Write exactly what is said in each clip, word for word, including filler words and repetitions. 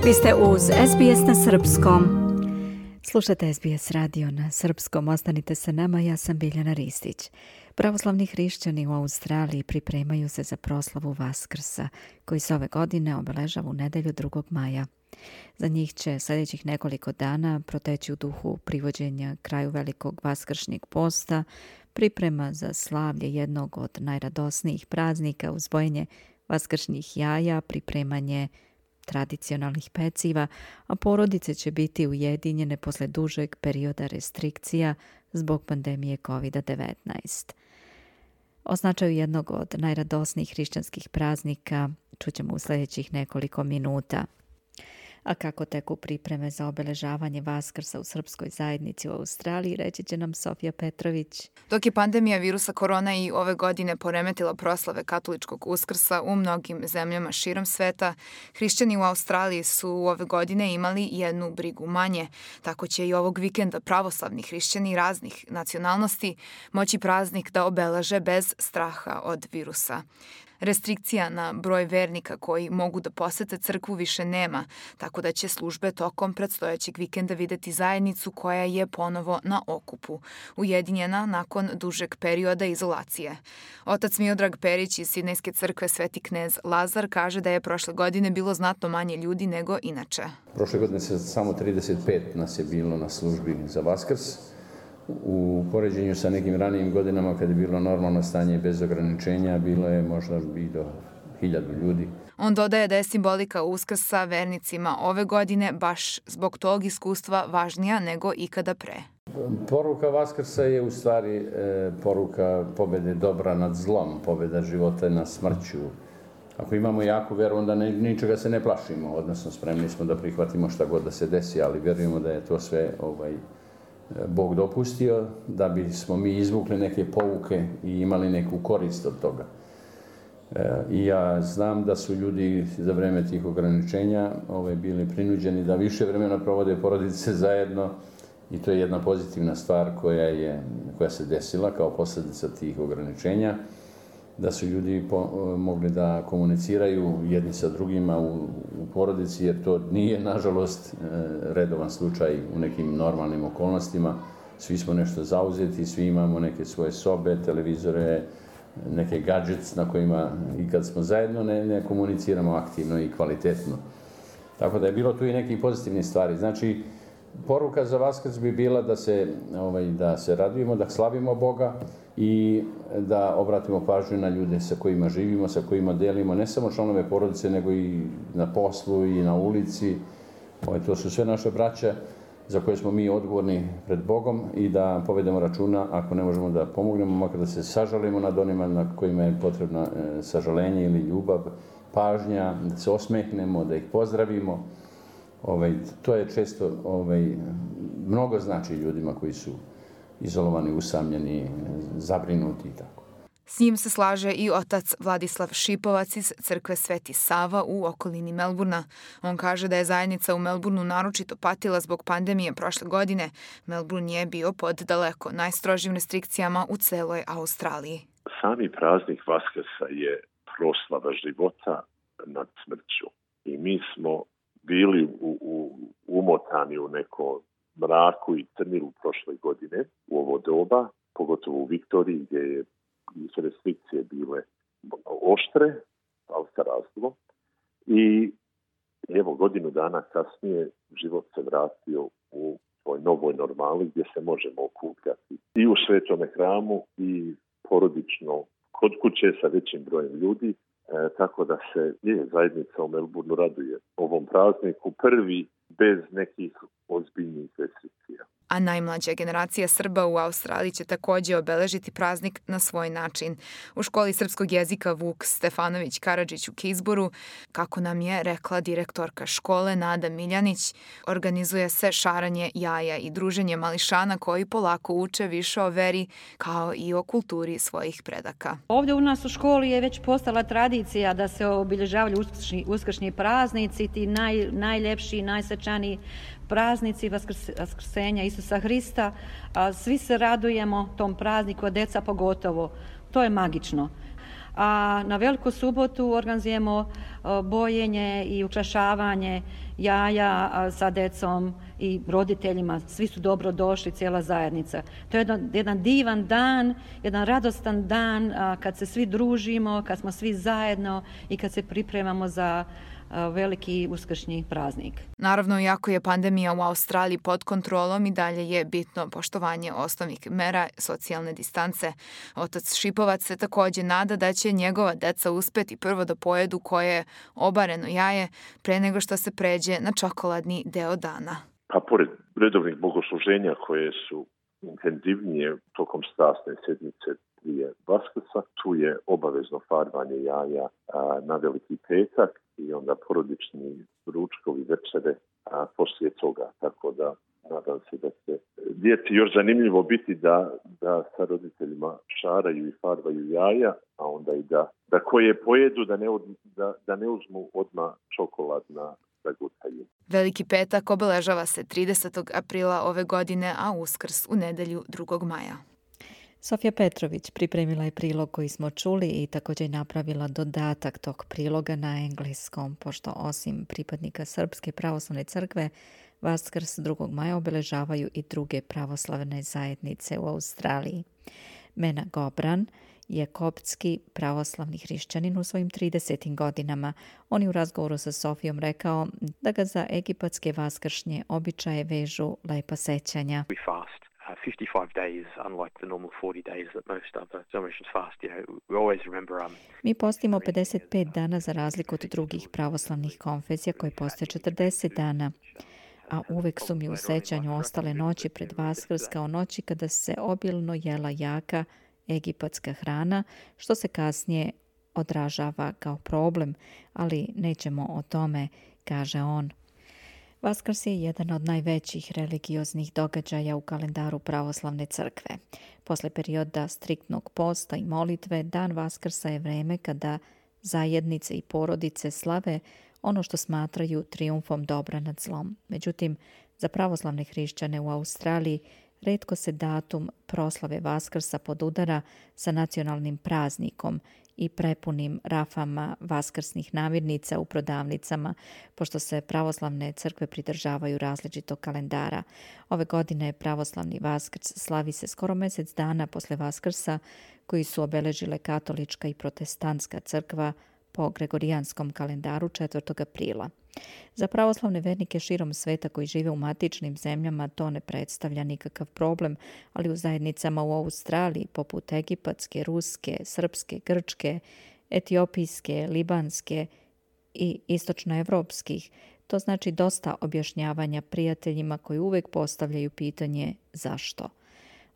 Vi ste uz S B S na srpskom. Slušate S B S radio na srpskom. Ostanite sa nama, ja sam Biljana Ristić. Pravoslavni hrišćani u Australiji pripremaju se za proslavu Vaskrsa, koji se ove godine obeležava u nedelju drugog maja. Za njih će sljedećih nekoliko dana proteći u duhu privođenja kraju velikog vaskršnjeg posta, priprema za slavlje jednog od najradosnijih praznika, uzbojenje vaskršnjih jaja, pripremanje tradicionalnih peciva, a porodice će biti ujedinjene posle dužeg perioda restrikcija zbog pandemije kovid devetnaest. O značaju jednog od najradosnijih hrišćanskih praznika čućemo u sljedećih nekoliko minuta. A kako teku pripreme za obeležavanje Vaskrsa u srpskoj zajednici u Australiji, reći će nam Sofija Petrović. Dok je pandemija virusa korona i ove godine poremetila proslave katoličkog Uskrsa u mnogim zemljama širom sveta, hrišćani u Australiji su ove godine imali jednu brigu manje. Tako će i ovog vikenda pravoslavni hrišćani raznih nacionalnosti moći praznik da obeleže bez straha od virusa. Restrikcija na broj vernika koji mogu da posete crkvu više nema, tako da će službe tokom predstojećeg vikenda videti zajednicu koja je ponovo na okupu, ujedinjena nakon dužeg perioda izolacije. Otac Miodrag Perić iz Sidnejske crkve Sveti knez Lazar kaže da je prošle godine bilo znatno manje ljudi nego inače. Prošle godine se samo trideset pet nas je bilo na službi za Vaskrs. U poređenju sa nekim ranijim godinama kad je bilo normalno stanje bez ograničenja, bilo je možda i do hiljadu ljudi. On dodaje da je simbolika Uskrsa vernicima ove godine baš zbog tog iskustva važnija nego ikada pre. Poruka Vaskrsa je u stvari e, poruka pobede dobra nad zlom, pobeda života nad smrću. Ako imamo jaku veru, onda ne, ničega se ne plašimo, odnosno spremni smo da prihvatimo šta god da se desi, ali vjerujemo da je to sve ovaj, Bog dopustio, da bismo mi izvukli neke pouke i imali neku korist od toga. E, I ja znam da su ljudi za vreme tih ograničenja ovaj, bili prinuđeni da više vremena provode porodice zajedno i to je jedna pozitivna stvar koja, je, koja se desila kao posljedica tih ograničenja, da su ljudi po, mogli da komuniciraju jedni sa drugima u, u porodici, jer to nije, nažalost, redovan slučaj u nekim normalnim okolnostima. Svi smo nešto zauzeti, svi imamo neke svoje sobe, televizore, neke gadgets na kojima i kad smo zajedno ne, ne komuniciramo aktivno i kvalitetno. Tako da je bilo tu i nekih pozitivnih stvari. Znači, poruka za Vaskrs bi bila da se, ovaj, da se radujemo, da slavimo Boga i da obratimo pažnju na ljude sa kojima živimo, sa kojima delimo, ne samo članove porodice, nego i na poslu i na ulici. Ovaj, to su sve naše braća za koje smo mi odgovorni pred Bogom i da povedemo računa, ako ne možemo da pomognemo, makar da se sažalimo nad onima na kojima je potrebna e, sažalenje ili ljubav, pažnja, da se osmehnemo, da ih pozdravimo. Ovaj, to je često ovaj, mnogo znači ljudima koji su izolovani, usamljeni, zabrinuti i tako. S njim se slaže i otac Vladislav Šipovac iz crkve Sveti Sava u okolini Melburna. On kaže da je zajednica u Melburnu naročito patila zbog pandemije prošle godine. Melburn je bio pod daleko najstrožim restrikcijama u celoj Australiji. Sami praznik Vaskrsa je proslava života nad smrću. I mi smo bili u, u, umotani u neko mraku i crnilu prošle godine u ovo doba, pogotovo u Viktoriji gdje je su restrikcije bile oštre, ali sa razlogom. I evo godinu dana kasnije život se vratio u svoj novoj normali gdje se možemo okupljati i u svetome hramu i porodično kod kuće sa većim brojem ljudi. E, tako da se je zajednica u Melburnu raduje ovom prazniku prvi bez nekih ozbiljnih restrikcija. A najmlađa generacija Srba u Australiji će također obeležiti praznik na svoj način. U školi srpskog jezika Vuk Stefanović Karadžić u Kizboru, kako nam je rekla direktorka škole Nada Miljanić, organizuje se šaranje jaja i druženje mališana koji polako uče više o veri kao i o kulturi svojih predaka. Ovdje u nas u školi je već postala tradicija da se obilježavaju uskršnji, uskršnji praznici, ti naj, najljepši, najsvečaniji praznici vaskrsenja Isusa Hrista. Svi se radujemo tom prazniku, a deca pogotovo. To je magično. a na Veliku subotu organizujemo bojenje i ukrašavanje jaja sa decom i roditeljima. Svi su dobro došli, cijela zajednica. To je jedan, jedan divan dan, jedan radostan dan kad se svi družimo, kad smo svi zajedno i kad se pripremamo za veliki uskršnji praznik. Naravno, iako je pandemija u Australiji pod kontrolom, i dalje je bitno poštovanje osnovnih mera socijalne distance. Otac Šipovac se takođe nada da će njegova deca uspeti prvo da pojedu koje obareno jaje pre nego što se pređe na čokoladni deo dana. Pa pored redovnih bogosluženja koje su intenzivnije tokom strasne sedmice prije Vaskrsa, tu je obavezno farbanje jaja a, na Veliki petak i onda porodični ručkovi večere a, poslije toga. Tako da nadam se da će djeci još zanimljivo biti da, da sa roditeljima šaraju i farbaju jaja, a onda i da, da koje pojedu da ne, od, da, da ne uzmu odmah čokolad na zagutaju. Veliki petak obeležava se tridesetog aprila ove godine, a Uskrs u nedelju drugog maja. Sofija Petrović pripremila je prilog koji smo čuli i također napravila dodatak tog priloga na engleskom, pošto osim pripadnika Srpske pravoslavne crkve, Vaskrs drugog maja obeležavaju i druge pravoslavne zajednice u Australiji. Mena Gobran je koptski pravoslavni hrišćanin u svojim tridesetim godinama. On je u razgovoru sa Sofijom rekao da ga za egipatske vaskršnje običaje vežu lepa sećanja. Uh, fifty-five days, unlike the normal forty days that most other denominations fast. You know, we always remember. Um, Mi postimo pedeset pet dana za razliku od drugih pravoslavnih konfesija koje postoje četrdeset dana. A uvek su mi u sećanju ostale noći pred Vaskrs kao noći kada se obilno jela jaka egipatska hrana, što se kasnije odražava kao problem, ali nećemo o tome, kaže on. Vaskrs je jedan od najvećih religioznih događaja u kalendaru pravoslavne crkve. Posle perioda striktnog posta i molitve, dan Vaskrsa je vreme kada zajednice i porodice slave ono što smatraju trijumfom dobra nad zlom. Međutim, za pravoslavne hrišćane u Australiji retko se datum proslave Vaskrsa podudara sa nacionalnim praznikom i prepunim rafama vaskrsnih namirnica u prodavnicama, pošto se pravoslavne crkve pridržavaju različitog kalendara. Ove godine pravoslavni Vaskrs slavi se skoro mjesec dana posle Vaskrsa, koji su obeležile katolička i protestantska crkva po gregorijanskom kalendaru četvrtog aprila. Za pravoslavne vernike širom sveta koji žive u matičnim zemljama to ne predstavlja nikakav problem, ali u zajednicama u Australiji, poput egipatske, ruske, srpske, grčke, etiopijske, libanske i istočnoevropskih, to znači dosta objašnjavanja prijateljima koji uvek postavljaju pitanje zašto.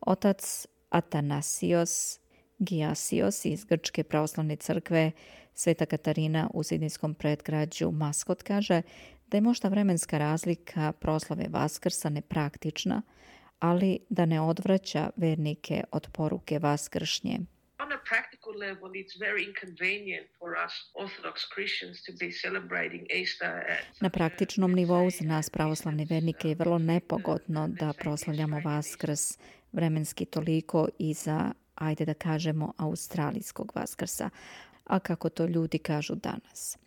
Otac Atanasios Giasios iz Grčke pravoslavne crkve Sveta Katarina u sidnejskom predgrađu Maskot kaže da je možda vremenska razlika proslave Vaskrsa nepraktična, ali da ne odvraća vernike od poruke vaskršnje. On a practical level, it's very inconvenient for us Orthodox Christians to be celebrating Easter at... Na praktičnom nivou za nas pravoslavne vernike je vrlo nepogodno da proslavljamo Vaskrs vremenski toliko i za, ajde da kažemo, australijskog Vaskrsa, a kako to ljudi kažu danas.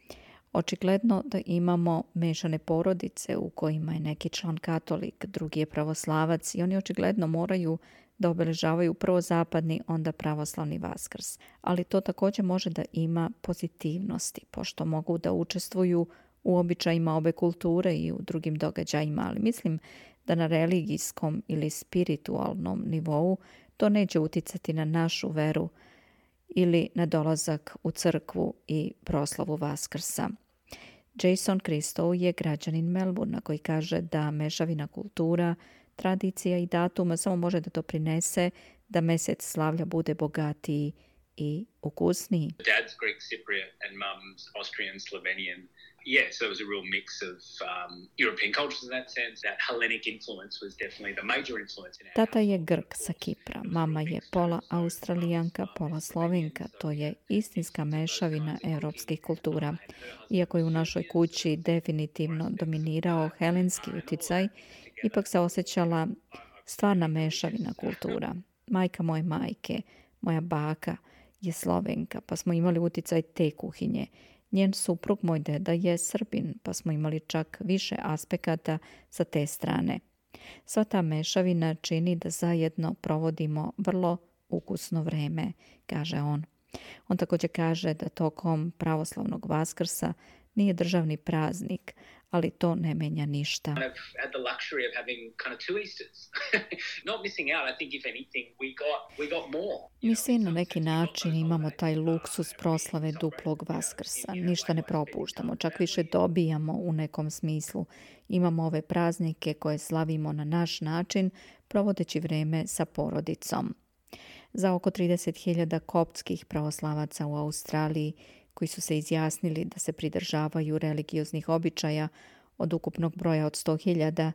Očigledno da imamo mešane porodice u kojima je neki član katolik, drugi je pravoslavac i oni očigledno moraju da obeležavaju prvo zapadni, onda pravoslavni Vaskrs. Ali to također može da ima pozitivnosti, pošto mogu da učestvuju u običajima obe kulture i u drugim događajima, ali mislim da na religijskom ili spiritualnom nivou to neće uticati na našu veru ili na dolazak u crkvu i proslavu Vaskrsa. Jason Christou je građanin Melbourna koji kaže da mešavina kultura, tradicija i datuma samo može da to prinese da mesec slavlja bude bogatiji i ukusniji. Dad's Greek Cypriot and mum's Austrian Slovenian. Yeah, so it was a real mix of um, European cultures in that sense. That Hellenic influence was definitely the major influence in our Tata je Grk sa Kipra, mama je pola Australijanka, pola Slovenka. To je istinska mešavina europskih kultura. Iako je u našoj kući definitivno dominirao helenski uticaj, ipak se osjećala stvarna mešavina kultura. Majka moje majke, moja baka, je Slovenka, pa smo imali uticaj te kuhinje. Njen suprug, moj deda, je Srbin, pa smo imali čak više aspekata sa te strane. Sva ta mešavina čini da zajedno provodimo vrlo ukusno vreme, kaže on. On također kaže da tokom pravoslavnog Vaskrsa nije državni praznik, ali to ne menja ništa. Mi svi na neki način imamo taj luksus proslave duplog Vaskrsa. Ništa ne propuštamo, čak više dobijamo u nekom smislu. Imamo ove praznike koje slavimo na naš način, provodeći vreme sa porodicom. Za oko trideset hiljada koptskih pravoslavaca u Australiji koji su se izjasnili da se pridržavaju religioznih običaja od ukupnog broja od sto hiljada,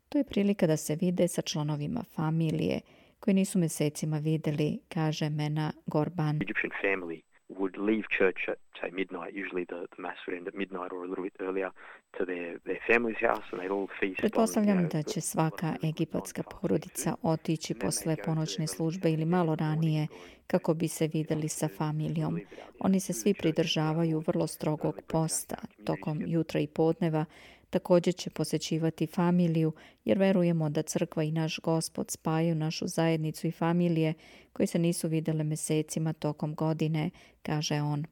to je prilika da se vide sa članovima familije koji nisu mesecima videli, kaže Mena Gorban. Egyptian family would leave church at, say, midnight. Usually the, the mass would end at midnight or a little bit earlier to their, their family's house and they'd all feast. Pretpostavljam da će svaka egipatska porodica otići posle ponoćne službe ili malo ranije kako bi se videli sa familijom. Oni se svi pridržavaju vrlo strogog posta. Tokom jutra i podneva također će posećivati familiju jer verujemo da crkva i naš Gospod spajaju našu zajednicu i familije koje se nisu videle mesecima tokom godine, kaže on.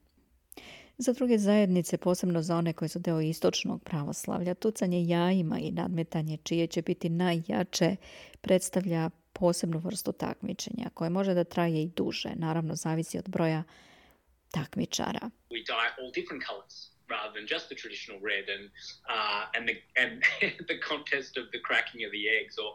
Za druge zajednice, posebno za one koje su deo istočnog pravoslavlja, tucanje jajima i nadmetanje čije će biti najjače predstavlja posebnu vrstu takmičenja koje može da traje i duže. Naravno, zavisi od broja takmičara. We dye all different colors rather than just the traditional red, and uh, and the and the contest of the cracking of the eggs, or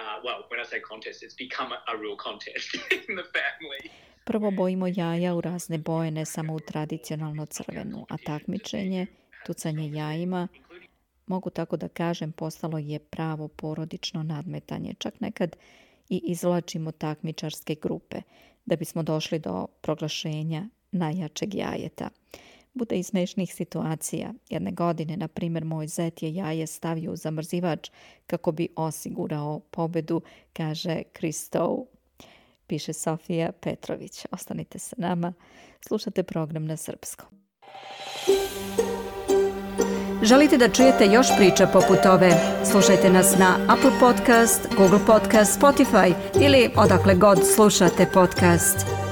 uh, well, when I say contest, it's become a, a real contest in the family. Prvo bojimo jaja u razne boje, ne samo u tradicionalno crvenu, a takmičenje, tucanje jajima, mogu tako da kažem, postalo je pravo porodično nadmetanje. Čak nekad i izvlačimo takmičarske grupe da bismo došli do proglašenja najjačeg jajeta. Bude i smešnih situacija. Jedne godine, na primjer, moj zet je jaje stavio u zamrzivač kako bi osigurao pobedu, kaže Kristov. Piše Sofija Petrović. Ostanite sa nama. Slušate program na srpskom. Želite da čujete još priča poput ove? Slušajte nas na Apple Podcast, Google Podcast, Spotify ili odakle god slušate podcast.